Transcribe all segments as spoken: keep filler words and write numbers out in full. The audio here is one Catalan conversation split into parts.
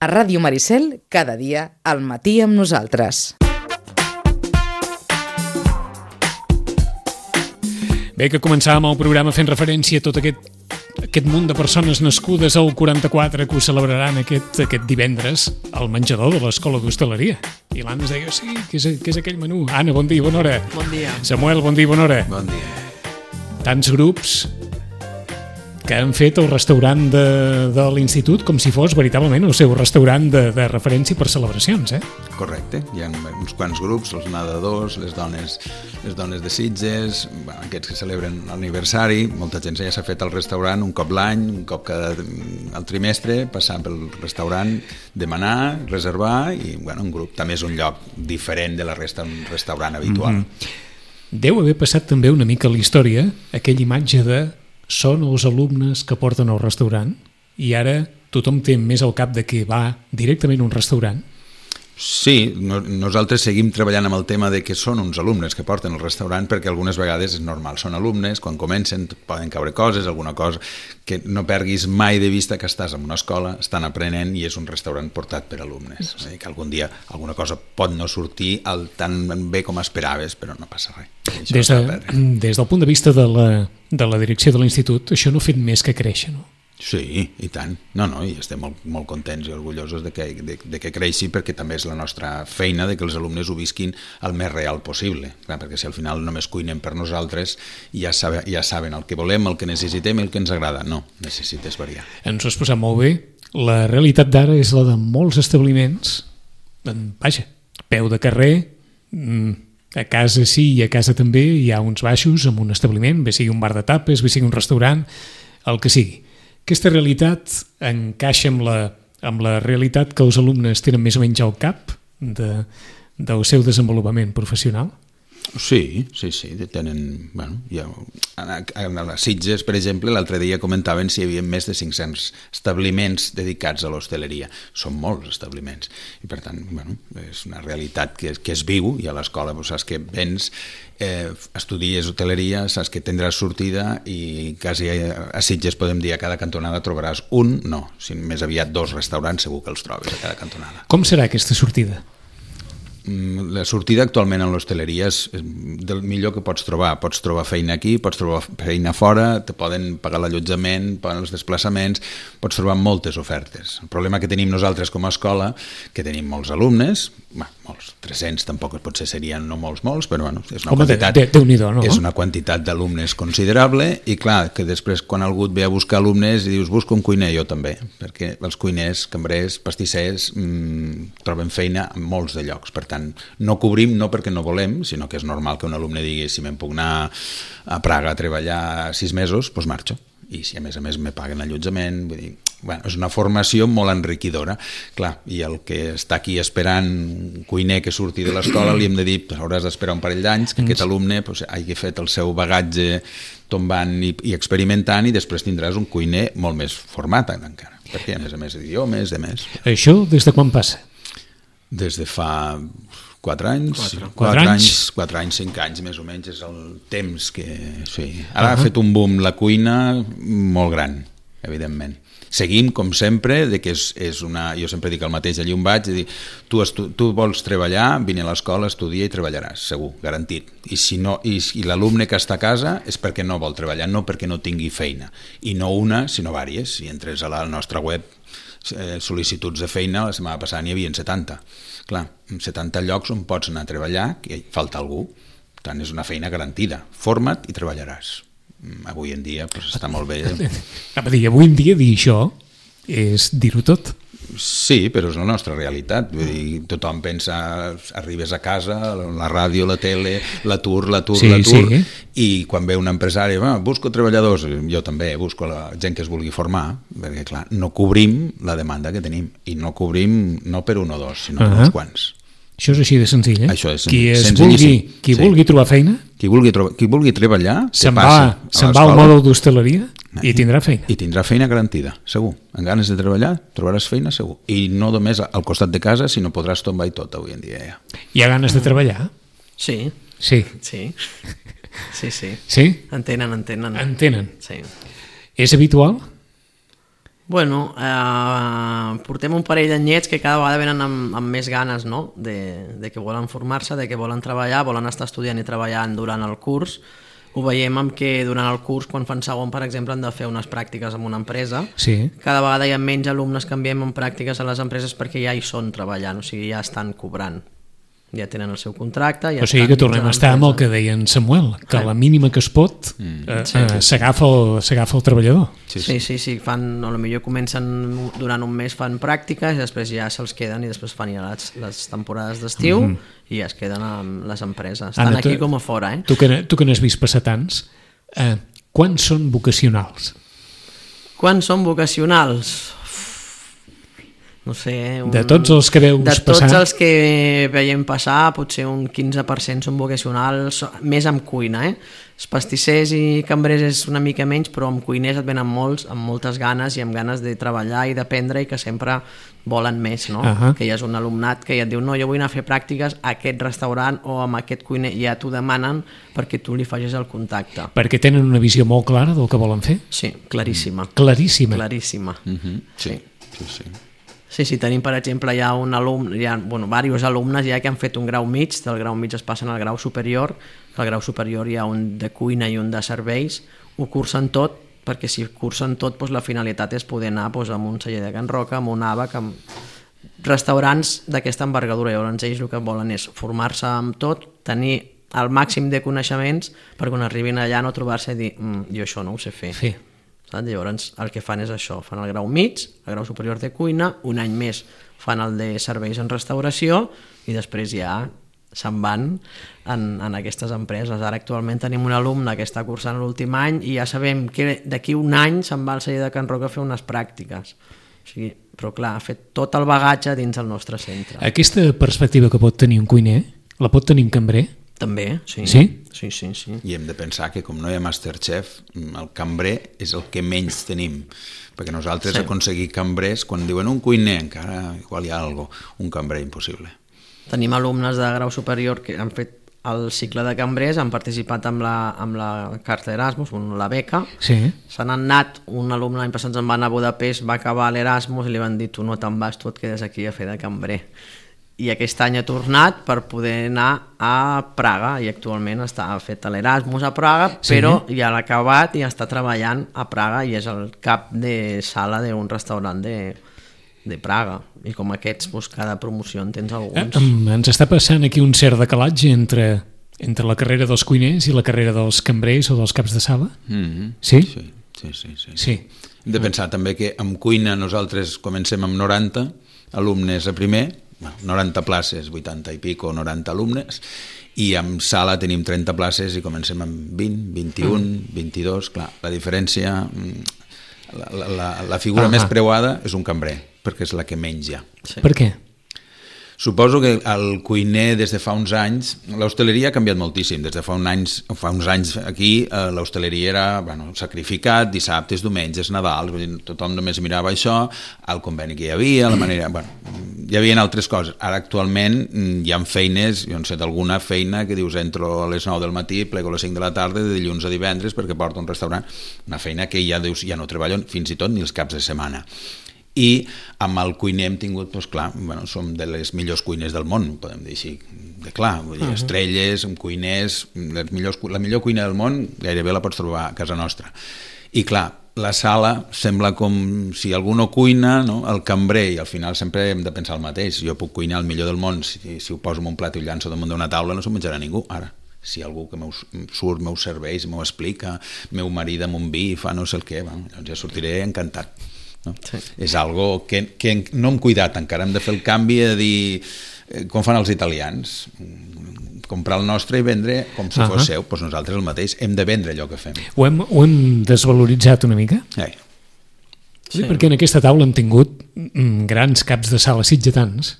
A Ràdio Maricel, cada dia, al matí amb nosaltres. Bé, que començàvem el programa fent referència a tot aquest, aquest munt de persones nascudes al quaranta-quatre que ho celebraran aquest, aquest divendres al menjador de l'Escola d'Hostaleria. I l'Anna es deia, sí, què és, què és aquell menú? Anna, bon dia, bona hora. Bon dia. Samuel, bon dia, bona hora. Bon dia. Tants grups que han fet el restaurant de, de l'institut com si fos veritablement el seu restaurant de, de referència per celebracions, eh? Correcte, hi ha uns quants grups, els nedadors, les dones, les dones de Sitges, bueno, aquests que celebren l'aniversari, molta gent ja s'ha fet al restaurant un cop l'any, un cop cada al trimestre, passar pel restaurant, demanar, reservar, i bueno, un grup també és un lloc diferent de la resta d'un restaurant habitual. Mm-hmm. Deu haver passat també una mica a la història aquella imatge de són els alumnes que porten al restaurant i ara tothom té més al cap de que va directament a un restaurant. Sí, no, nosaltres seguim treballant amb el tema de que són uns alumnes que porten al restaurant perquè algunes vegades és normal, són alumnes, quan comencen poden caure coses, alguna cosa, que no perguis mai de vista que estàs en una escola, estan aprenent i és un restaurant portat per alumnes. Sí. Que algun dia alguna cosa pot no sortir el tan bé com esperaves, però no passa res. Des, de, des del punt de vista de la, de la direcció de l'institut, això no ha fet més que créixer, no? Sí, i tant. No, no, i estem molt, molt contents i orgullosos de que, de, de que creixi perquè també és la nostra feina de que els alumnes ho visquin el més real possible. Clar, perquè si al final només cuinem per nosaltres ja, sabe, ja saben el que volem, el que necessitem i el que ens agrada. No, necessites variar. Ens ho has posat molt bé. La realitat d'ara és la de molts establiments, vaja, peu de carrer, a casa sí i a casa també hi ha uns baixos amb un establiment, bé sigui un bar de tapes, bé sigui un restaurant, el que sigui. Aquesta realitat encaixa amb la, amb la realitat que els alumnes tenen més o menys al cap de, del seu desenvolupament professional? Sí, sí, sí, tenen, bueno, ja, a, a les Sitges, per exemple, l'altre dia comentaven si hi havia més de cinc-cents establiments dedicats a l'hostaleria. Són molts establiments i per tant, bueno, és una realitat que, que es viu i a l'escola doncs, saps que vens, eh, estudies hoteleria, saps que tindràs sortida i quasi a, a Sitges podem dir a cada cantonada trobaràs un, no, si més aviat dos restaurants segur que els trobes a cada cantonada. Com serà aquesta sortida? La sortida actualment en l'hostaleria és del millor que pots trobar. Pots trobar feina aquí, pots trobar feina fora, te poden pagar l'allotjament, paguen els desplaçaments, pots trobar moltes ofertes. El problema que tenim nosaltres com a escola, que tenim molts alumnes, bueno, molts, tres-cents tampoc potser serien no molts, molts, però bueno, és una Home, quantitat, de, de, Déu-n'hi-do, no? és una quantitat d'alumnes considerable i clar, que després quan algú et ve a buscar alumnes i dius busca un cuiner, jo també, perquè els cuiners, cambrers, pastissers mmm, troben feina en molts de llocs, per tant, no cobrim no perquè no volem, sinó que és normal que un alumne digui si me'n puc anar a Praga a treballar sis mesos, doncs marxo. I si a més a més me paguen allotjament, vull dir, bueno, és una formació molt enriquidora. Clar, i el que està aquí esperant un cuiner que surti de l'escola li hem de dir, pues, hauràs d'esperar un parell d'anys que aquest alumne pues, hagi fet el seu bagatge tombant i, i experimentant i després tindràs un cuiner molt més format encara, perquè a més a més idiomes, de més. Això des de quan passa? Des de fa quatre anys, quatre, quatre, quatre anys, anys, quatre anys, cinc anys més o menys és el temps que... Sí. Ara uh-huh. ha fet un boom la cuina molt gran, evidentment. Seguim, com sempre, de que és, és una... Jo sempre dic el mateix, allí on vaig, dir, tu, estu, tu vols treballar, vine a l'escola, estudia i treballaràs, segur, garantit. I si no, i, i l'alumne que està a casa és perquè no vol treballar, no perquè no tingui feina. I no una, sinó vàries. Si entres a la nostra web, eh, sol·licituds de feina, la setmana passada n'hi havia setanta. Clar, setanta llocs on pots anar a treballar, que falta algú, per tant és una feina garantida. Forma't i treballaràs. Avui en dia pues, està molt bé. A dir, avui en dia dir això és dir-ho tot. Sí, però és la nostra realitat. Vull dir, tothom pensa, arribes a casa, la ràdio, la tele, l'atur, l'atur, sí, l'atur, sí. I quan ve un empresari, va, busco treballadors, jo també busco la gent que es vulgui formar, perquè clar, no cobrim la demanda que tenim, i no cobrim no per un o dos, sinó per uh-huh. uns quants. Això és així de senzill, eh? Això és qui es vulgui, qui sí. vulgui trobar feina, qui vulgui, trobar, qui vulgui treballar, se'n va, se va al mòdul d'hostaleria i tindrà feina. I tindrà feina garantida, segur. En ganes de treballar, trobaràs feina, segur. I no només al costat de casa, sinó podràs tombar i tot avui en dia. Ja. Hi ha ganes de treballar? Sí. Sí. Sí, sí. sí. Sí? Entenen, entenen. Entenen. Sí. És habitual? Bueno, eh, portem un parell d'anyets que cada vegada venen amb, amb més ganes, no? de, de que volen formar-se, de que volen treballar, volen estar estudiant i treballant durant el curs. Ho veiem amb que durant el curs, quan fan segon, per exemple, han de fer unes pràctiques en una empresa. Sí. Cada vegada hi ha menys alumnes que enviem en pràctiques a les empreses perquè ja hi són treballant, o sigui, ja estan cobrant. Ja tenen el seu contracte. Ja o sigui que tornem a estar amb el que deia en Samuel, que a la mínima que es pot mm. eh, sí. eh, s'agafa el, s'agafa el treballador. Sí, sí, sí, sí fan, a lo millor comencen durant un mes fan pràctiques i després ja se'ls queden i després fan ja les, les temporades d'estiu mm. i ja es queden amb les empreses. Estan Anna, aquí tu, com a fora. Eh? Tu, que, tu que n'has vist passar tants, eh, quants són vocacionals? Quants són vocacionals? No sé, un... de tots els que veus de passar, tots els que veiem passar, potser un quinze per cent són vocacionals, més amb cuina, eh? Els pastissers i cambrers és una mica menys, però amb cuiners et venen molts, amb moltes ganes i amb ganes de treballar i d'aprendre i que sempre volen més, no? Uh -huh. Que hi ha un alumnat que ja et diu, no, jo vull anar a fer pràctiques a aquest restaurant o amb aquest cuiner, i ja t'ho demanen perquè tu li facis el contacte. Perquè tenen una visió molt clara del que volen fer? Sí, claríssima. Claríssima. Claríssima. Uh -huh. Sí, sí, sí. Sí, sí, tenim, per exemple, hi ha un alumne, hi ha, bueno, diversos alumnes ja que han fet un grau mig, del grau mig es passen al grau superior, que al grau superior hi ha un de cuina i un de serveis, ho cursen tot, perquè si cursen tot, doncs la finalitat és poder anar doncs, amb un celler de Can Roca, amb un àbac, amb restaurants d'aquesta envergadura. Llavors ells el que volen és formar-se amb tot, tenir el màxim de coneixements per quan arribin allà no trobar-se i dir, mm, jo això no ho sé fer. Sí. Llavors el que fan és això, fan el grau mig, el grau superior de cuina, un any més fan el de serveis en restauració i després ja se'n van en, en aquestes empreses. Ara actualment tenim un alumne que està cursant l'últim any i ja sabem que d'aquí un any se'n va al celler de Can Roca a fer unes pràctiques. O sigui, però clar, ha fet tot el bagatge dins el nostre centre. Aquesta perspectiva que pot tenir un cuiner, la pot tenir un cambrer? També, sí. Sí? Sí, sí, sí. I hem de pensar que com no hi ha Masterchef, el cambrer és el que menys tenim, perquè nosaltres sí. aconseguir cambrers, quan diuen un cuiner, encara igual hi ha alguna cosa, un cambrer impossible. Tenim alumnes de grau superior que han fet el cicle de cambrers, han participat amb la, amb la carta Erasmus, la beca, sí. Se n'han anat, un alumne l'any passat se'n va anar a Budapest, va acabar l'Erasmus i li van dir, tu no te'n vas, tu et quedes aquí a fer de cambrer. I aquest any ha tornat per poder anar a Praga i actualment està fet l'Erasmus a Praga, sí. Però ja l'ha acabat i està treballant a Praga i és el cap de sala d'un restaurant de, de Praga. I com aquests, doncs, cada promoció en tens alguns. Eh, ens està passant aquí un cert decalatge entre, entre la carrera dels cuiners i la carrera dels cambrers o dels caps de sala? Mm-hmm. Sí? Sí, sí, sí, sí. sí. Hem de pensar també que amb cuina nosaltres comencem amb noranta alumnes a primer, noranta places, vuitanta i pico, noranta alumnes, i amb sala tenim trenta places i comencem amb vint, vint-i-un, mm. vint-i-dos, clar, la diferència, la, la, la figura ah, més preuada és un cambrer, perquè és la que menys hi ha. Sí. Per què? Suposo que el cuiner des de fa uns anys, l'hostaleria ha canviat moltíssim, des de fa, un anys, fa uns anys aquí eh, l'hostaleria era bueno, sacrificat, dissabtes, diumenges, Nadal, tothom només mirava això, el conveni que hi havia, la manera, bueno, hi havia altres coses. Ara actualment hi ha feines, jo no sé d'alguna feina que dius entro a les nou del matí, plego a les cinc de la tarda, de dilluns a divendres perquè porto un restaurant, una feina que ja dius ja no treballo fins i tot ni els caps de setmana. I amb el cuiner hem tingut, doncs clar, bueno, som de les millors cuiners del món, podem dir així, de clar, vull dir, estrelles, cuiners, les millors, la millor cuina del món gairebé la pots trobar a casa nostra. I clar, la sala sembla com si algú no cuina, no? El cambrer, i al final sempre hem de pensar el mateix, jo puc cuinar el millor del món, si, si ho poso en un plat i ho llanço damunt d'una taula no s'ho menjarà ningú, ara. Si algú que meus, surt, meus serveis, m'ho explica, meu marit amb un vi, fa no sé el què, bueno, doncs ja sortiré encantat. No? Sí. És algo que, que no hem cuidat encara, hem de fer el canvi de dir eh, com fan els italians, comprar el nostre i vendre com si uh -huh. fos seu, doncs nosaltres el mateix hem de vendre allò que fem. Ho hem, ho hem desvaloritzat una mica? Eh. Sí. Sí, perquè en aquesta taula hem tingut mm, grans caps de sala sitgetans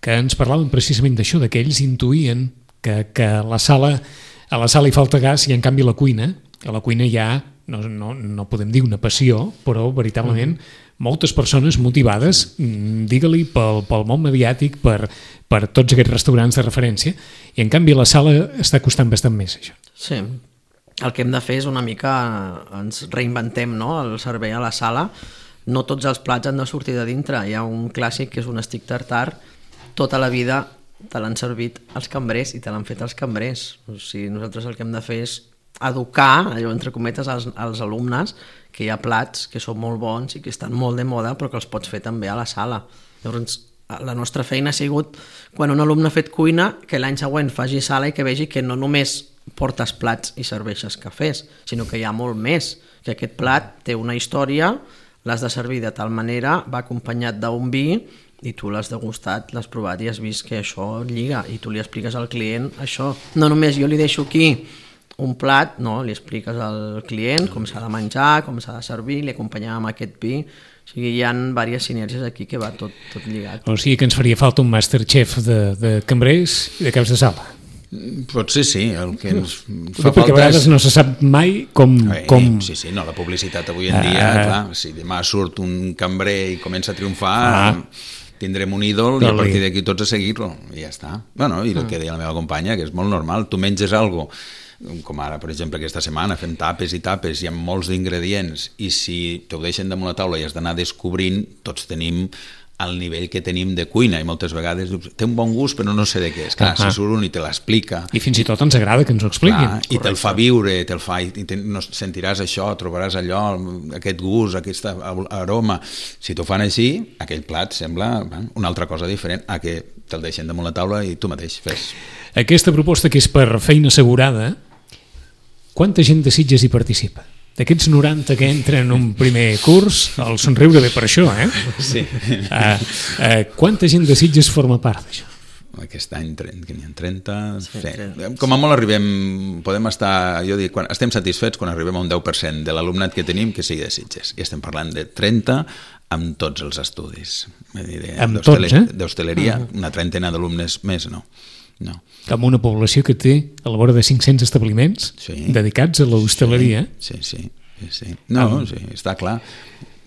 que ens parlaven precisament d'això, que ells intuïen que, que la sala, a la sala hi falta gas i en canvi la cuina, a la cuina hi ha No, no, no podem dir una passió, però veritablement uh-huh. moltes persones motivades, digue-li pel, pel món mediàtic, per, per tots aquests restaurants de referència, i en canvi la sala està costant bastant més, això. Sí, el que hem de fer és una mica, ens reinventem, no?, el servei a la sala, no tots els plats han de sortir de dintre. Hi ha un clàssic que és un stick tartar, tota la vida te l'han servit els cambrers i te l'han fet els cambrers. O sigui, nosaltres el que hem de fer és educar, allò entre cometes, als, als alumnes que hi ha plats que són molt bons i que estan molt de moda però que els pots fer també a la sala. Llavors, la nostra feina ha sigut, quan un alumne ha fet cuina, que l'any següent faci sala i que vegi que no només portes plats i serveixes cafès, sinó que hi ha molt més, que aquest plat té una història, l'has de servir de tal manera, va acompanyat d'un vi i tu l'has degustat, l'has provat i has vist que això lliga i tu li expliques al client això. No només jo li deixo aquí un plat, no, li expliques al client com s'ha de menjar, com s'ha de servir, li acompanyem amb aquest vi. O sigui, hi ha diverses sinergies aquí que va tot, tot lligat. O sigui que ens faria falta un Masterchef de, de cambrers i de caps de sala. Potser sí, el que ens fa falta perquè a vegades és... no se sap mai com... Bé, com... Sí, sí, no, la publicitat avui en dia, ah, clar, si demà surt un cambrer i comença a triomfar... Ah. Tindrem un ídol i a partir d'aquí tots a seguir-lo i ja està. Bueno, i el que deia la meva companya, que és molt normal, tu menges alguna cosa, com ara, per exemple, aquesta setmana fem tapes i tapes, hi ha molts d'ingredients i si te ho deixen damunt la taula i has d'anar descobrint, tots tenim el nivell que tenim de cuina i moltes vegades dius, té un bon gust però no sé de què és. Clar, uh -huh. si surt un i te l'explica... I fins i tot ens agrada que ens ho expliquin. Clar, i te'l fa viure, te'l fa, i te, no, sentiràs això, trobaràs allò, aquest gust, aquest aroma. Si t'ho fan així, aquell plat sembla bueno, una altra cosa diferent a que te'l deixen damunt la taula i tu mateix fes. Aquesta proposta que és per feina assegurada, quanta gent de Sitges hi participa? D'aquests noranta que entren en un primer curs, el somriure ve per això, eh? Sí. Uh, uh, quanta gent de Sitges forma part d'això? Aquest any que n'hi ha trenta... Sí, sí. Com a molt arribem, podem estar, jo dic, quan estem satisfets quan arribem a un deu per cent de l'alumnat que tenim que sigui de Sitges. I estem parlant de trenta amb tots els estudis. Amb tots, eh? D'hostaleria, uh-huh. Una trentena d'alumnes més, no. No. Amb una població que té a la vora de cinc-cents establiments sí. dedicats a l'hostaleria. Sí, sí, sí, sí. No, ah. sí, està clar.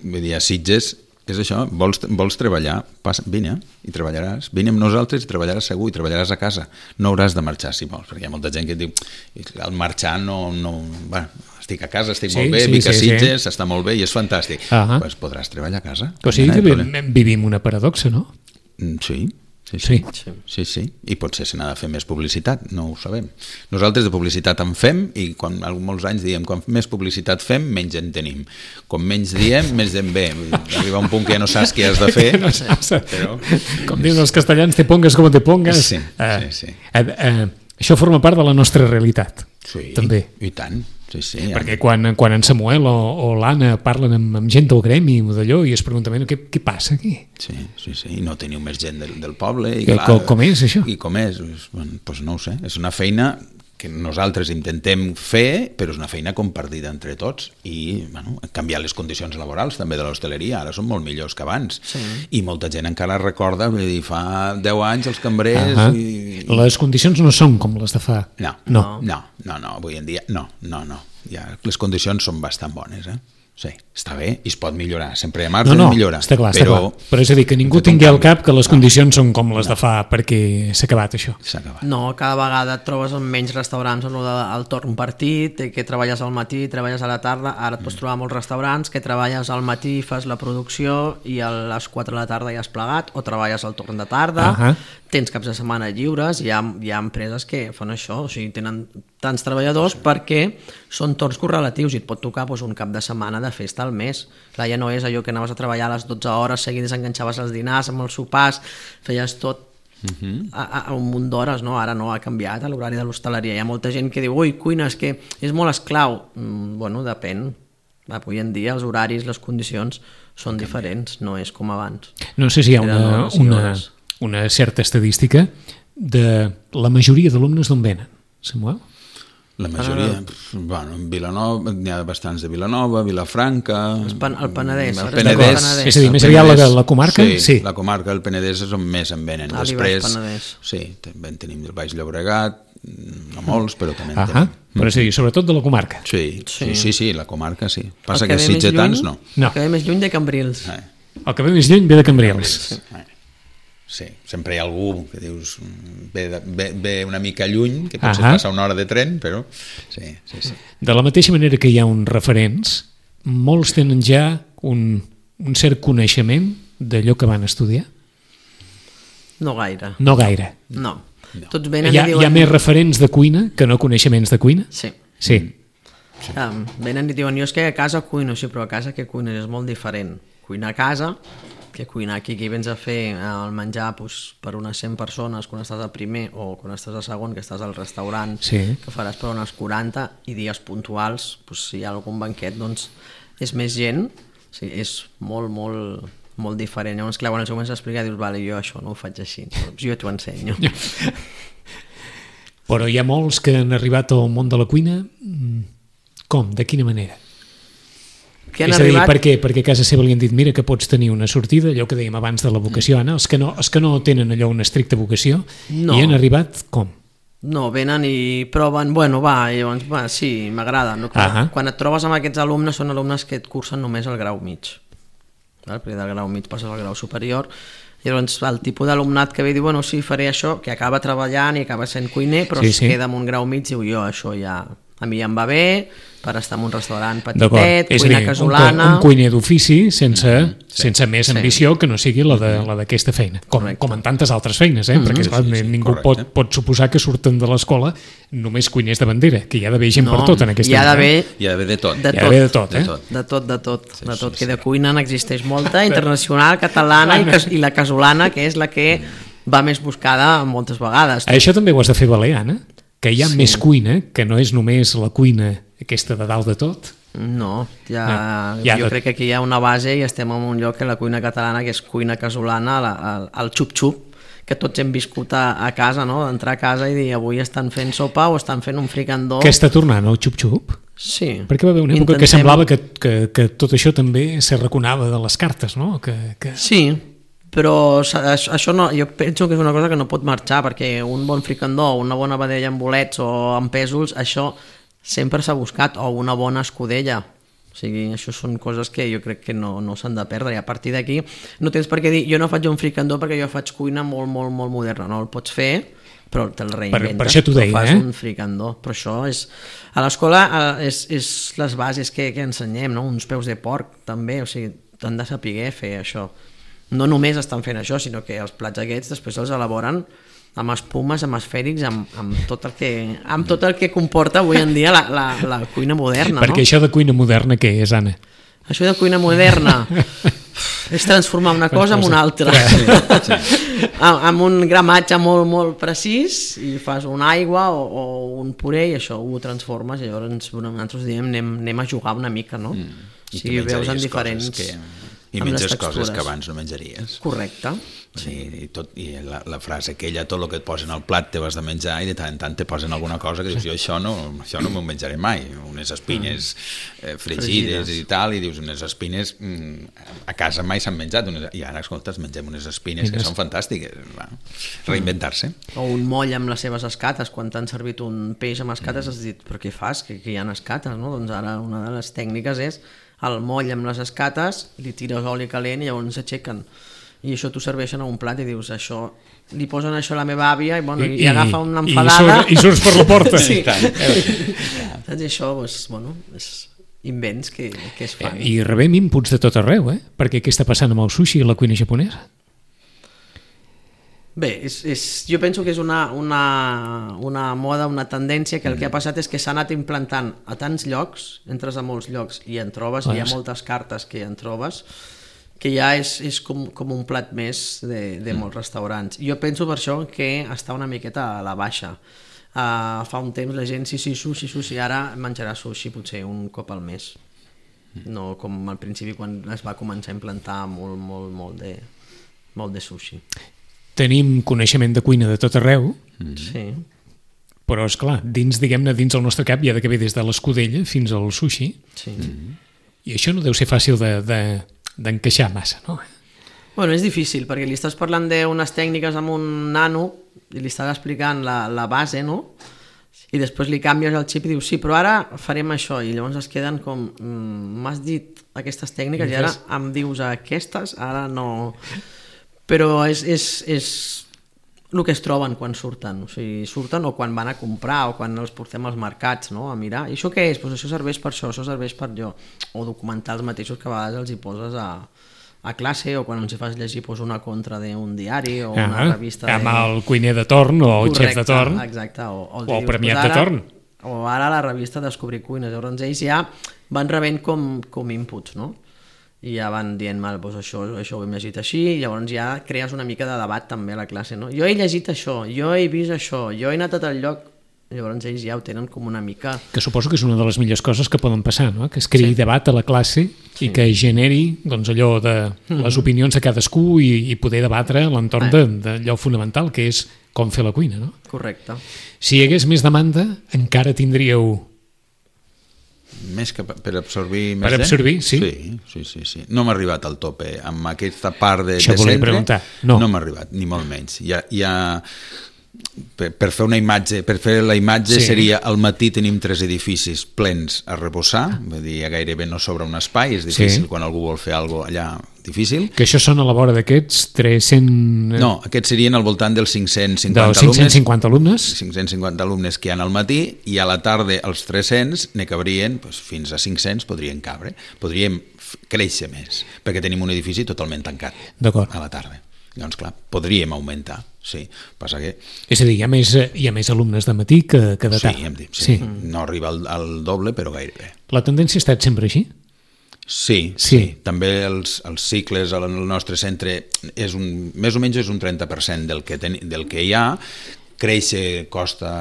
Vull dir, a Sitges és això, vols, vols treballar, passa, vine i treballaràs, vine amb nosaltres i treballaràs segur i treballaràs a casa. No hauràs de marxar si vols, perquè hi ha molta gent que diu al marxar no... no bueno, estic a casa, estic sí, molt bé, sí, vic a sí, Sitges, sí. Està molt bé i és fantàstic. Doncs pues podràs treballar a casa. O sigui que vivim, vivim una paradoxa, no? Sí. Sí sí. Sí. sí, sí, i potser se n'ha de fer més publicitat, no ho sabem. Nosaltres de publicitat en fem i quan molts anys diem, quan més publicitat fem, menys en tenim. Com menys diem, més en ve. Arriba un punt que ja no saps què has de fer. No saps, però... Com diuen els castellans, te pongues com te pongues. Sí, uh, sí, sí. Uh, uh, això forma part de la nostra realitat. Sí, també. I tant. Sí, sí, ja. Perquè quan, quan en Samuel o, o l'Anna parlen amb, amb gent del gremi o d'allò i es pregunten, bueno, què, què passa aquí? Sí, sí, sí, i no teniu més gent del, del poble. I, I clar, com, com és això? I com és? Bueno, doncs no ho sé, és una feina que nosaltres intentem fer, però és una feina compartida entre tots i bueno, canviar les condicions laborals també de l'hostaleria, ara són molt millors que abans sí. I molta gent encara recorda, vull dir, fa deu anys els cambrers uh -huh. i... Les condicions no són com les de fa no, no, no, no, no avui en dia no, no, no ja, les condicions són bastant bones, eh? Sí, està bé i es pot millorar, sempre hi ha marge no, no, de millorar. Està clar, però, està clar. Però és a dir, que ningú tingui al cap que les condicions no. són com les no. de fa perquè s'ha acabat això. S'ha acabat. No, cada vegada et trobes en menys restaurants on el torn partit, que treballes al matí, treballes a la tarda, ara et pots trobar molts restaurants que treballes al matí, fas la producció i a les quatre de la tarda ja has plegat, o treballes al torn de tarda, uh -huh. tens caps de setmana lliures, hi ha, hi ha empreses que fan això, o sigui, tenen tants treballadors sí. perquè són torns correlatius i et pot tocar doncs, un cap de setmana de festa al mes. Clar, ja no és allò que anaves a treballar a les dotze hores, seguides enganxaves els dinars amb els sopars, feies tot uh-huh. a, a un munt d'hores, no? Ara no, ha canviat l'horari de l'hostaleria. Hi ha molta gent que diu, ui, cuina, és que és molt esclau. Mm, bueno, depèn. Avui en dia els horaris, les condicions són diferents, no és com abans. No sé si hi ha una, una, una certa estadística de la majoria d'alumnes d'on venen, Samuel? La majoria, ah, bueno, en Vilanova, n'hi ha bastants de Vilanova, Vilafranca... El, pan, el Penedès. El Penedès. Penedès. És a dir, més aviat la, la comarca? Sí, sí, la comarca del Penedès és on més en venen. Ah, després, sí, també en tenim del Baix Llobregat, no molts, però també en uh -huh. tenim. Però és a dir, sobretot de la comarca. Sí, sí, sí, sí la comarca sí. Passa que, que sitgetans no. no. El que ve més lluny de Cambrils. Eh. El que ve més lluny ve de Cambrils. Sí. Eh. Sí, sempre hi ha algú que dius ve, de, ve, ve una mica lluny, que potser uh -huh. passa una hora de tren, però sí, sí, sí. De la mateixa manera que hi ha uns referents, molts tenen ja un, un cert coneixement d'allò que van estudiar? No gaire. No gaire. No. Tots venen Hi ha, i diuen... hi ha més referents de cuina que no coneixements de cuina? Sí. Sí. Um, venen i diuen, jo és que a casa cuino, sí, però a casa que cuines és molt diferent. Cuinar a casa, que cuinar aquí, que vens a fer el menjar pues, per unes cent persones quan estàs al primer o quan estàs al segon, que estàs al restaurant, Sí. que faràs per unes quaranta, i dies puntuals, pues, si hi ha algun banquet, doncs és més gent, o sigui, és molt, molt, molt diferent. Llavors, clar, quan els comences a explicar, dius, vale, jo això no ho faig així, doncs jo t'ho ensenyo. Però hi ha molts que han arribat al món de la cuina. Com? De quina manera? Que han És a dir, arribat... per què? Perquè a casa seva li han dit mira que pots tenir una sortida, allò que dèiem abans de la vocació, Anna, els que no, els que no tenen allò una estricta vocació, No. i han arribat com? No, venen i proven, bueno, va, i llavors, va, sí, m'agrada. No? Quan, Ahà. quan et trobes amb aquests alumnes, són alumnes que et cursen només el grau mig. Val? Perquè del grau mig passes al grau superior. I llavors el tipus d'alumnat que ve i diu, bueno, sí, faré això, que acaba treballant i acaba sent cuiner, però Sí, es sí. queda amb un grau mig i diu, jo això ja... A mi ja em va bé, per estar en un restaurant D'acord. petitet, És a cuina dir, un, casolana... un cuiner d'ofici sense, sí. sense més Sí. ambició que no sigui la de- la d'aquesta feina, com, Correcte. com en tantes altres feines, eh? Perquè esclar, Sí, sí, sí, ningú pot, correcte. pot suposar que surten de l'escola només cuiners de bandera, que hi ha d'haver gent No, per tot en aquesta hi ha vida, d'haver eh? Hi ha d'haver de tot. de Hi ha d'haver de tot, De eh? tot. De tot, de tot, Sí, de tot, sí, que sí. de cuina n'existeix molta, internacional, catalana i, cas- i la casolana, que és la que va més buscada moltes vegades. Això també ho has de fer valer, Anna, que hi ha Sí. més cuina, que no és només la cuina aquesta de dalt de tot. No, ja, No, ja jo de- crec que aquí hi ha una base i estem en un lloc que la cuina catalana, que és cuina casolana, la, el, el xup-xup, que tots hem viscut a, a casa, no? D'entrar a casa i dir avui estan fent sopa o estan fent un fricandó. Que està tornant el xup-xup? Sí. Perquè va haver una època que Intentem- semblava que, que, que tot això també se reconava de les cartes, no? Que, que... Sí, però sa- això això no, jo penso que és una cosa que no pot marxar, perquè un bon fricandó, una bona vedella amb bolets o amb pèsols, això sempre s'ha buscat, o una bona escudella. O sigui, això són coses que jo crec que no, no s'han de perdre, i a partir d'aquí no tens per què dir, jo no faig un fricandó perquè jo faig cuina molt, molt, molt moderna, no el pots fer, però te'l reinventes, per això t'ho però deia, fas eh? un fricandó, però això és... A l'escola eh, és, és les bases que, que ensenyem, no? Uns peus de porc també, o sigui, t'han de saber fer això. No només estan fent això, sinó que els plats aquests després els elaboren amb espumes, amb esfèrics, amb, amb, tot el que, amb tot el que comporta avui en dia la, la, la cuina moderna. Perquè no? això de cuina moderna què és, Anna? Això de cuina moderna és transformar una cosa en una altra. Amb, amb un gramatge molt, molt precís, i fas una aigua o, o un puré i això ho transformes, i llavors bueno, nosaltres diem anem, anem a jugar una mica, no? Mm. I Si que veus en menjaries diferents... coses que... I amb les menges coses textures. que abans no menjaries. Correcte. Sí. I, tot, i la, la frase aquella, tot el que et posen al plat te vas de menjar, i de tant en tant te posen alguna cosa que dius, jo això no, això no m'ho menjaré mai, unes espines eh, fregides, Fregides. i tal, i dius, unes espines mm, a casa mai s'han menjat, unes, i ara, escoltes, mengem unes espines que Quines? són fantàstiques. Va. Reinventar-se. O un moll amb les seves escates, quan t'han servit un peix amb escates has dit, però què fas, que, que hi ha escates, no? Doncs ara una de les tècniques és el moll amb les escates, li tires oli calent i llavors s'aixequen. I això t'ho serveixen a un plat i dius, això, li posen això a la meva àvia i, bueno, i, i agafa una enfadada. I, surt, I surts per la porta. Sí. I, Saps? I això, doncs, bueno, és invents que, que es fan. I rebem inputs de tot arreu, eh? Perquè què està passant amb el sushi i la cuina japonesa? Bé, és, és, jo penso que és una, una, una moda, una tendència que el que ha passat és que s'ha anat implantant a tants llocs, entres a molts llocs i en trobes, Ah, hi ha sí. moltes cartes que en trobes, que ja és, és com, com un plat més de, de molts restaurants. Jo penso per això que està una miqueta a la baixa. Uh, fa un temps la gent, sí, sí, sushi, sushi, ara menjarà sushi potser un cop al mes. No com al principi quan es va començar a implantar molt, molt, molt de, molt de sushi. Tenim coneixement de cuina de tot arreu, Sí. però, és clar, dins, diguem-ne, dins el nostre cap hi ha de haver des de l'escudella fins al sushi, Sí. i això no deu ser fàcil de, de, d'encaixar massa, no? Bueno, és difícil, perquè li estàs parlant d'unes tècniques amb un nano i li estàs explicant la, la base, no? I després li canvies el xip i dius, sí, però ara farem això, i llavors es queden com, mm, m'has dit aquestes tècniques i ara em dius aquestes, ara no... Però és, és, és el que es troben quan surten, o sigui, surten o quan van a comprar o quan els portem als mercats, no?, a mirar. I això què és? Pues això serveix per això, això serveix per allò. O documentals mateixos que a vegades els hi poses a, a classe o quan els hi fas llegir pues, una contra d'un diari o una ah, revista... Amb de... el cuiner de torn o el Correcte, xef de torn. Exacte. O, o, o dius, el premiat pues ara, de torn. O ara la revista Descobrir Cuines. Llavors ells ja van rebent com, com inputs, no? I ja van dient, mal, doncs això, això ho hem llegit així, i llavors ja crees una mica de debat també a la classe, no? Jo he llegit això, jo he vist això, jo he anat a tal lloc, llavors ells ja ho tenen com una mica... Que suposo que és una de les millors coses que poden passar, no? Que es creï sí. debat a la classe sí. i que generi doncs, allò de les opinions de cadascú i, i poder debatre a l'entorn eh. d'allò fonamental, que és com fer la cuina, no? Correcte. Si hi hagués més demanda, encara tindríeu... Més que per absorbir més per absorbir, sí. Sí, sí, sí, sí. No m'ha arribat al tope. Amb aquesta part de, Això de centre preguntar. No, no m'ha arribat, ni molt menys. Hi ha, hi ha, per, per fer una imatge, per fer la imatge sí. seria al matí tenim tres edificis plens a rebossar, vull dir, gairebé no sobra un espai, és difícil sí. quan algú vol fer alguna cosa allà, difícil. Que això són a la vora d'aquests tres-cents... No, aquests serien al voltant dels cinc-cents cinquanta dels cinc-cents cinquanta alumnes. cinc-cents cinquanta alumnes que hi ha al matí i a la tarda els tres-cents ne cabrien, doncs, fins a cinc-cents podrien cabre. Podríem créixer més, perquè tenim un edifici totalment tancat a la tarda. Llavors, clar, podríem augmentar, sí. Passa que... És a dir, hi ha més, hi ha més alumnes de matí que, que de tarda. Sí, hem dit, sí. sí. No arriba al, al doble, però gairebé. La tendència ha estat sempre així? Sí, sí, sí. També els, els cicles al nostre centre és un, més o menys és un trenta per cent del que, ten, del que hi ha. Créixer costa,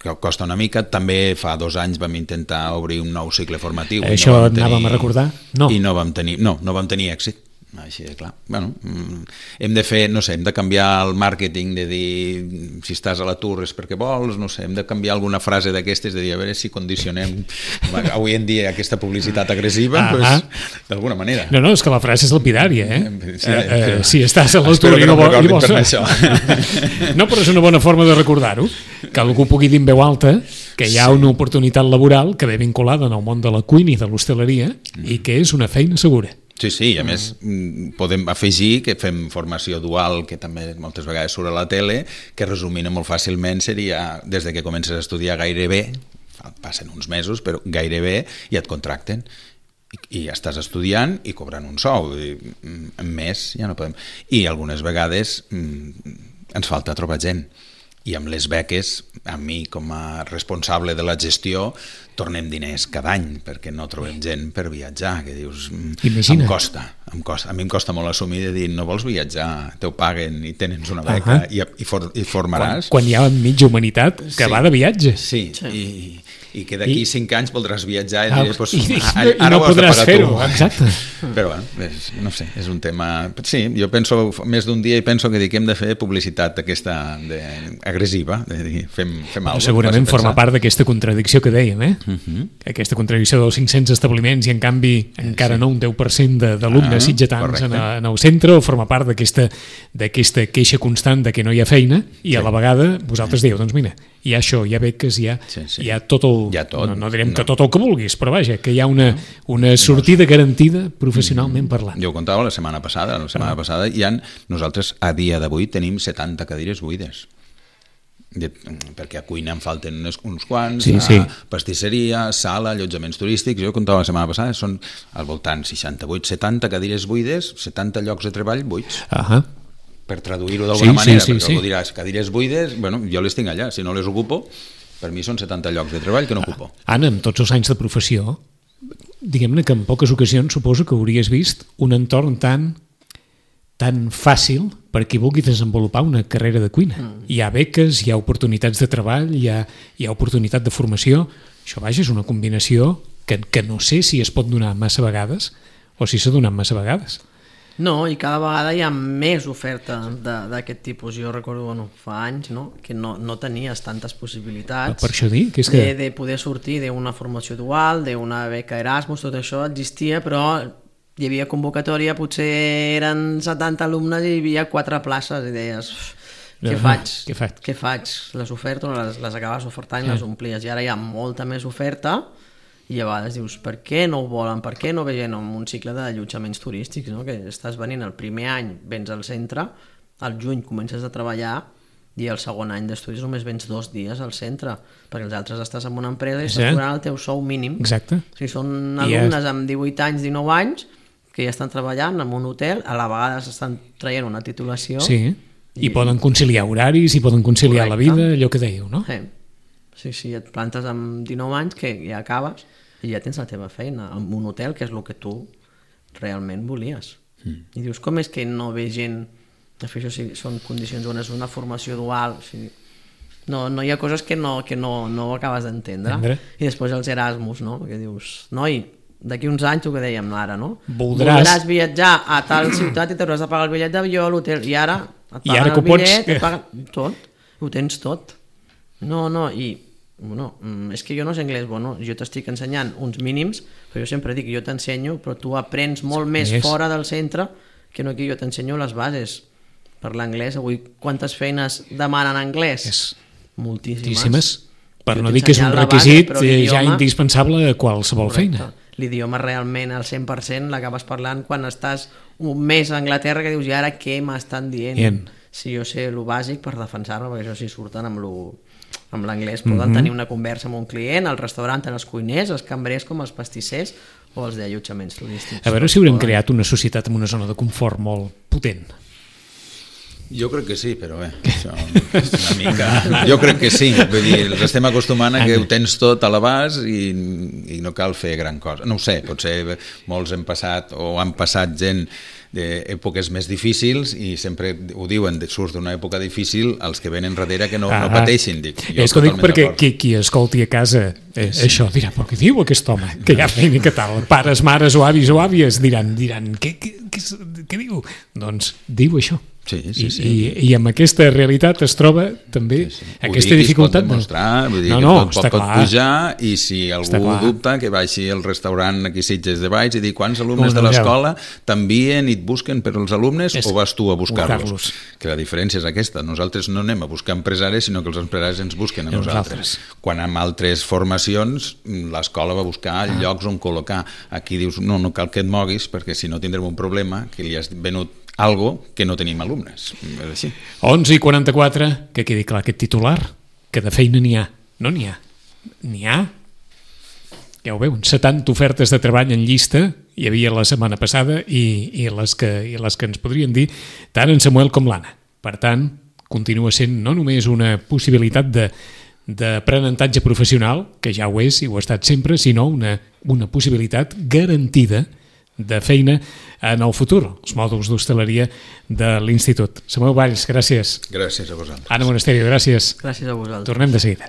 costa una mica. També fa dos anys vam intentar obrir un nou cicle formatiu. Això no anàvem tenir, a recordar? No. I no vam tenir, no, no vam tenir èxit. Així de clar. Bueno, hem de fer, no sé, hem de canviar el màrqueting de dir si estàs a l'atur és perquè vols, no sé, hem de canviar alguna frase d'aquestes de dir a veure si condicionem avui en dia aquesta publicitat agressiva, pues, d'alguna manera. No, no, és que la frase és lapidària, eh? Sí, eh, eh si estàs a l'atur i no, no i vols... Això. No, però és una bona forma de recordar-ho, que algú pugui dir en veu alta que hi ha sí. una oportunitat laboral que ve vinculada en el món de la cuina i de l'hostaleria mm. i que és una feina segura. Sí, sí, i a més podem afegir que fem formació dual, que també moltes vegades surt a la tele, que resumint molt fàcilment seria, des de que comences a estudiar gairebé, passen uns mesos, però gairebé ja et contracten i, i ja estàs estudiant i cobrant un sou, i, més ja no podem. I algunes vegades ens falta trobar gent. I amb les beques, a mi com a responsable de la gestió, tornem diners cada any, perquè no trobem gent per viatjar, que dius, Imagina. em costa, em costa, a mi em costa molt assumir de dir, no vols viatjar, teu paguen i tens una beca uh -huh. i, i, for, i formaràs. Quan, quan hi ha mitja humanitat que sí. va de viatge. Sí, sí. i... i que d'aquí I... cinc anys voldràs viatjar i ah, diré, pues, i, i, ara, ara no ho has de podràs pagar fer-ho, tu. Exacte. Però bueno, és, no sé, és un tema... Sí, jo penso, més d'un dia i penso que dic que hem de fer publicitat aquesta de, agressiva, de dir, fem, fem alguna cosa. Segurament forma part d'aquesta contradicció que dèiem, eh? Uh -huh. Aquesta contradicció dels cinc-cents establiments i en canvi encara sí. no un deu per cent d'alumnes ah, sitgetans en, en el centre, o forma part d'aquesta queixa constant de que no hi ha feina i sí. a la vegada vosaltres dieu, doncs mira, hi ha això, hi ha beques, hi ha, sí, sí. Hi ha tot el... Hi ha tot. No, no direm no. que tot el que vulguis, però vaja, que hi ha una, una sortida garantida professionalment parlant. Jo ho contava la setmana passada, la setmana ah. passada hi ha, nosaltres a dia d'avui tenim setanta cadires buides. De, perquè a cuina en falten uns, uns quants, sí, a sí. pastisseria, sala, allotjaments turístics. Jo contava la setmana passada, són al voltant seixanta-vuit, setanta cadires buides, setanta llocs de treball buits. Ahà. Uh-huh. Per traduir-ho d'alguna sí, manera, sí, sí, perquè sí. algú diràs, cadires buides, bueno, jo les tinc allà, si no les ocupo, per mi són setanta llocs de treball que no ocupo. Anna, amb tots els anys de professió, diguem-ne que en poques ocasions suposo que hauries vist un entorn tan tan fàcil per qui vulgui desenvolupar una carrera de cuina. Mm. Hi ha beques, hi ha oportunitats de treball, hi ha, hi ha oportunitat de formació. Això, vaja, és una combinació que, que no sé si es pot donar massa vegades o si s'ha donat massa vegades. No, i cada vegada hi ha més oferta d'aquest tipus. Jo recordo, bueno, fa anys, no?, que no, no tenies tantes possibilitats. Per això dic, que és que... De, de poder sortir d'una formació dual, d'una beca Erasmus, tot això existia, però hi havia convocatòria, potser eren setanta alumnes i hi havia quatre places i deies, què faig? Què faig? Què faig? Les oferto, les, les acabes ofertant i les omplies. I ara hi ha molta més oferta i a vegades dius, per què no ho volen? Per què no ve gent en un cicle d'allotjaments turístics, no? Que estàs venint el primer any, vens al centre, al juny comences a treballar i el segon any d'estudis només vens dos dies al centre, perquè els altres estàs en una empresa i Sí. estàs cobrant el teu sou mínim. Exacte. O sigui, són I alumnes és- amb divuit anys, dinou anys, que ja estan treballant en un hotel, a la vegada s'estan traient una titulació. Sí, i, I- poden conciliar horaris, i poden conciliar la Correcte. vida, allò que dèieu, no? Sí. sí, sí, et plantes amb dinou anys que ja acabes i ja tens la teva feina, en un hotel, que és el que tu realment volies. Mm. I dius, com és que no ve gent... De fet, això sí, són condicions on és una formació dual, o sigui, no, no hi ha coses que no, que no, no acabes d'entendre. Entendre. I després els Erasmus, no? Que dius, noi, d'aquí uns anys, tu que dèiem ara, no? Voldràs- Voldràs viatjar a tal ciutat i t'hauràs de pagar el bitllet d'avió, l'hotel, i ara et I paguen ara que el ho pots- bitllet, et paguen tot, ho tens tot. No, no, i bueno, mm, és que jo no sé anglès, bueno, jo t'estic ensenyant uns mínims, però jo sempre dic, jo t'ensenyo, però tu aprens molt més Més. fora del centre que no aquí, jo t'ensenyo les bases per l'anglès. Avui quantes feines demanen anglès? És Moltíssimes. moltíssimes. Per Jo no t'he dir que és un ensenyat la base, requisit però eh, ja l'idioma- indispensable a qualsevol Correcte. feina. L'idioma realment al cent per cent l'acabes parlant quan estàs un mes a Anglaterra, que dius, i ara què m'estan dient? Dient. Si jo sé el bàsic per defensar-me, perquè això sí surten amb lo amb l'anglès, poden Mhm. tenir una conversa amb un client, al restaurant, tant els cuiners, els cambrers com els pastissers o els d'allotjaments turístics. A veure si haurem creat una societat amb una zona de confort molt potent. Jo crec que sí, però bé, això és una mica... Jo crec que sí, vull dir, els estem acostumant a que ho tens tot a l'abast i, i no cal fer gran cosa. No ho sé, potser molts hem passat o han passat gent d'èpoques més difícils i sempre ho diuen, surts d'una època difícil els que venen darrere que no, Ah, no pateixin. Dic, jo és que ho dic totalment perquè d'acord. qui, qui escolti a casa eh, sí. això dirà, però què diu aquest home? Que ja feina, que tal? Pares, mares o avis o àvies diran, diran què, què, què, què diu? Doncs diu això. Sí, sí, sí. I, i, i amb aquesta realitat es troba també sí, sí. aquesta Ho dic, dificultat. es pot demostrar, vull dir no, que no, tot pot, està pot clar. pujar i si Està algú clar. dubta que vagi al restaurant aquí a Sitges de Valls i dir quants alumnes Com de no, l'escola t'envien i et busquen per als alumnes És o vas tu a buscar-los? buscar-los. Que la diferència és aquesta, nosaltres no anem a buscar empresaris sinó que els empresaris ens busquen a I nosaltres. nosaltres. Quan amb altres formacions l'escola va buscar ah. llocs on col·locar. Aquí dius, no, no cal que et moguis perquè si no tindrem un problema que li has venut algo que no tenim alumnes. És així. onze i quaranta-quatre, que quedi clar aquest titular, que de feina n'hi ha. No n'hi ha. N'hi ha. Ja ho veuen, setanta ofertes de treball en llista hi havia la setmana passada i, i, les que, i les que ens podrien dir tant en Samuel com l'Anna. Per tant, continua sent no només una possibilitat de d'aprenentatge professional, que ja ho és i ho ha estat sempre, sinó una, una possibilitat garantida de feina en el futur, els mòduls d'hostaleria de l'Institut. Samuel Valls, gràcies. Gràcies a vosaltres. Anna Monasterio, gràcies. Gràcies a vosaltres. Tornem de seguida.